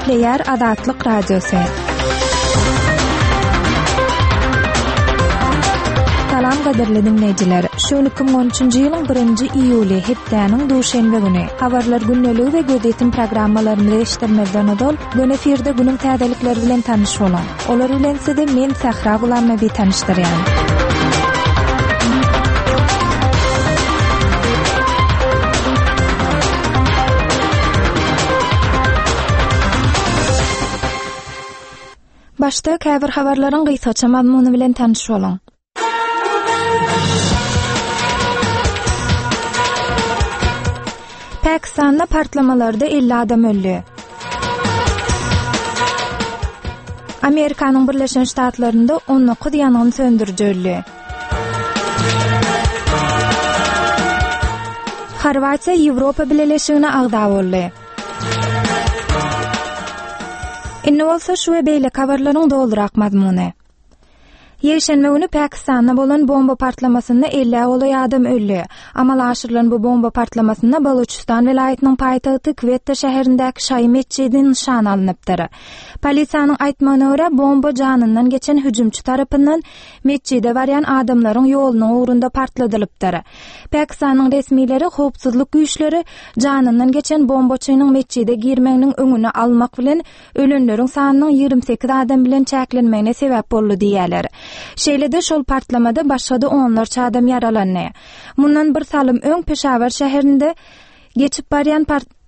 Gepleýär Azatlyk Radiosy. Salam gadyrly diňleýjiler. Şu gün 2013-nji ýylyň 1-nji iýuly, hepdäniň duşenbe güni. Habarlar gündeligi we gözýetim programmalarymyzy eşitdirmezden ozal, göni efirde günüň täzelikleri bilen tanyş boluň. Olar bilen sizi men Sähra Gulamnabi tanyşdyrýan. Başda käbir habarlaryň gysgaça mazmuny bilen tanyş boluň. Pakistanda partlamalarda 50 adam öldi. Amerikanyň Birleşen Ştatlarynda 19 ýangyn söndüriji öldi. Horwatiýa Ýewropa Bileleşigine agza boldy. Indi bolsa şu we beýleki habarlaryň dolurak mazmuny. Ýekşenbe güni Pakistanda bolan bomba partlamasynda ellä golaý adam öldi. Amala aşyrylan bu bomba partlamasynda Baluçistan welaýatynyň paýtagty Kwetta şäherindäki şaýy metjidi nyşana alnypdyr. Polisiýanyň aýtmagyna görä, bomba janyndan geçen hüjümçi tarapyndan metjide barýan adamlaryň ýolunyň ugrunda partladylypdyr. Pakistanyň resmileri howpsuzlyk güýçleri janyndan geçen bombaçynyň metjide girmeginiň öňüni almak bilen ölenleriň sanynyň 28 adam bilen çäklenmegine sebäp boldy diýýärler. Şeýle-de şol partlamada başga-da onlarça adam ýaralandy. Mundan bir salym öň Peşawar şäherinde geçip barýan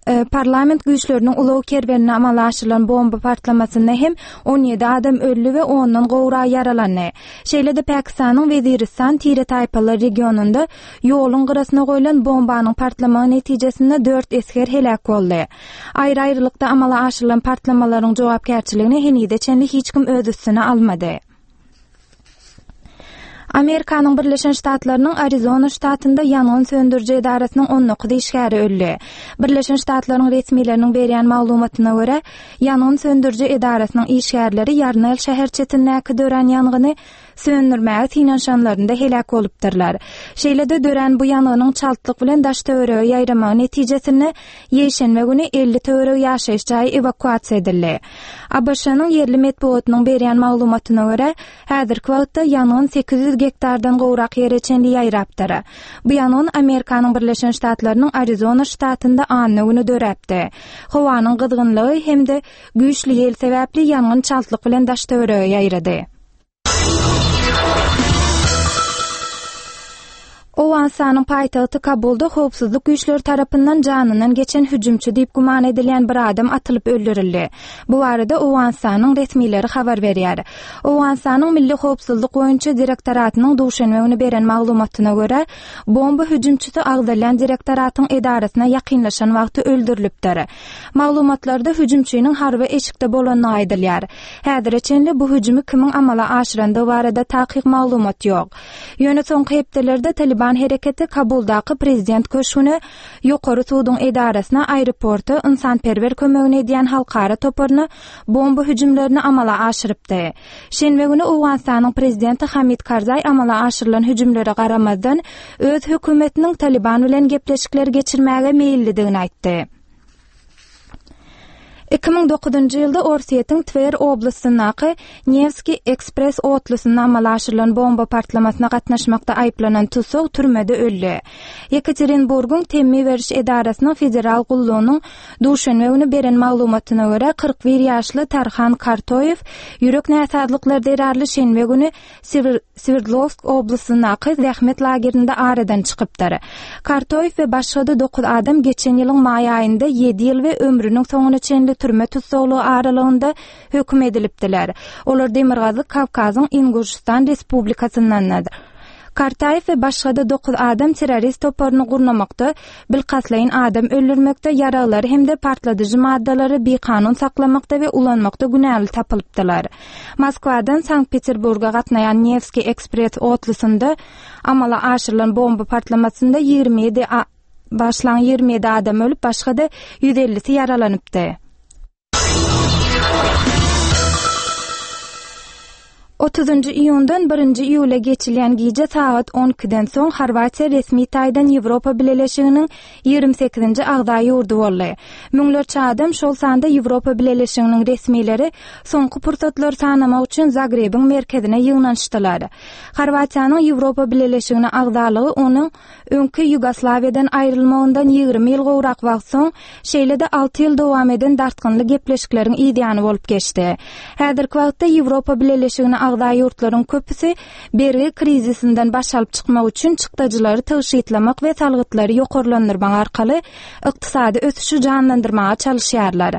e, parlament güýçleriniň ulag kerwenine amala aşyrylan bomba partlamasynda hem 17 adam öldi we ondan gowragy ýaralandy. Şeýle-de Pakistanyň Weziristan tire-taýpalar regionynda ýoluň gyrasyna goýlan bombanyň partlamagy netijesinde dört esger heläk boldy. Aýry-aýrylykda amala aşyrylan partlamalaryň jogapkärçiligini henize çenli hiç kim öz üstüne almady. Amerikanyň Birleşen Ştatlarynyň Arizona ştatynda ýangyn söndüriji edarasynyň 19 işgäri öldi. Birleşen Ştatlaryň resmileriniň berýän maglumatyna görä, ýangyn söndüriji edarasynyň işgärleri Ýarnel şäherçesindäki dörän ýangyny söndürmäge synanyşanlarynda heläk bolupdyrlar. Şeýle-de dörän bu ýangynyň çaltlyk bilen daş-töwerege ýaýramagy netijesinde ýekşenbe güni 50 töweregi ýaşaýyş jaýy ewakuasiýa edildi. ABŞ-nyň ýerli metbugatynyň berýän maglumatyna görä, häzirki wagtda ýangyn 800 gektardan gowrak ýere çenli ýaýrapdyr. Bu ýangyn Amerikanyň Birleşen Ştatlarynyň Arizona ştatynda anna güni döräpdi. Howanyň gyzgynlygy hem-de güýçli ýel sebäpli ýangyn çaltlyk bilen daş-töwerege ýaýrady. Owganystanyň paýtagty Kabulda howpsuzlyk güýçleri tarapyndan janyndan geçen hüjümçi diýip güman edilýän bir adam atylyp öldürildi. Bu barada Owganystanyň resmileri habar berýär. Owganystanyň Milli howpsuzlyk boýunça direktoratynyň duşenbe güni beren maglumatyna görä, bomba hüjümçisi agzalýan direktoratyň edarasyna ýakynlaşan wagty öldürilipdir. Maglumatlarda hüjümçiniň harby eşikde bolandygy aýdylýar. Häzire çenli bu hüjümi kimiň amala aşyrandygy barada takyk maglumat ýok. Ýöne soňky hepdelerde Talyban hereketi Kabuldaky prezident köşgüne, Ýokary suduň edarasyna, aeroporta, ynsanperwer kömegini edýän halkara toparyna bomba hüjümlerini amala aşyrypdy. Şenbe güni Owganystanyň prezidenti Hamid Karzaý amala aşyrylan hüjümlere garamazdan, öz hökümetiniň Talyban bilen gepleşikleri geçirmäge meýillidigini aýtdy. 2009-njy ýylda Orsýetiň Twer oblastyndaky Newskiý ekspress otlusynda amala aşyrylan bomba partlamasyna gatnaşmakda aýyplanan tussag türmede öldi. Ýekaterinburgyň temmi beriş edarasynyň federal gullugynyň duşenbe güni beren maglumatyna görä, 41 ýaşly Tarhan Kartoýew ýürek näsazlyklary zerarly şenbe güni Swerdlowsk oblastyndaky zähmet lagerinde aradan çykypdyr. Kartoýew we başga-da dokuz adam geçen ýylyň maý aýynda ýedi ýyl we ömrüniň soňuna çenli türme tussaglygy aralygynda höküm edilipdiler. Olar Demirgazyk Kawkazyň Inguşystan Respublikasyndandyr. Kartaýew we başga-da dokuz adam terrorist toparyny gurnamakda, bilkastlaýyn adam öldürmekde, ýaraglary hem-de partladyjy maddalary bikanun saklamakda we ulanmakda günäli tapylypdylar. Moskwadan Sankt-Peterburga gatnaýan Newskiý ekspress otlusynda amala aşyrylan bomba partlamasynda 27 başlan 27 adam ölüp, başga-da 150-si ýaralanypdy. Otuzynjy iýundan birinji iýula geçilýän gije sagat on ikiden soň Horwatiýa resmi taýdan Ýewropa Bileleşiginiň 28-nji agza ýurdy boldy. Müňlerçe adam, şol sanda Ýewropa Bileleşiginiň resmileri soňky pursatlary sanamak üçin Zagrebiň merkezine ýygnanyşdylar. Horwatiýanyň Ýewropa Bileleşigine agzalygy onuň öňki Ýugoslawiýadan aýrylmagyndan 20 ýyl gowrak wagt soň, şeýle-de alty ýyl dowam eden dartgynly gepleşikleriň yzýany bolup geçdi. Häzirki wagtda Ýewropa Bileleşigine agza ýurtlaryň köpüsi bergi krizisinden baş alyp çykmak üçin çykdajylary tygşytlamak we salgytlary ýokarlandyrmak arkaly ykdysady ösüşi janlandyrmaga çalyşýarlar.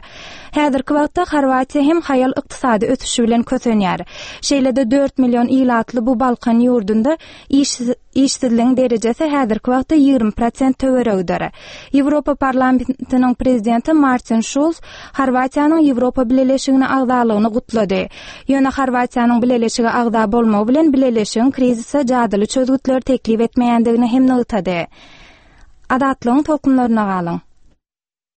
Häzirki wagtda Horwatiýa hem haýal ykdysady ösüşi bilen kösenýär. Şeýle-de dört million ilatly bu Balkan ýurdunda Işsizligiň derejesi häzirki wagtda 20 prosent töweregidir. Ýewropa Parlamentiniň prezidenti Martin Şulz Horwatiýanyň Ýewropa Bileleşigine agzalygyny gutlady. Ýöne Horwatiýanyň bileleşige agza bolmagy bilen bileleşigiň krizise jadyly çözgütleri teklip etmeýändigini hem nygtady. Azatlygyň tolkunlaryna galyň!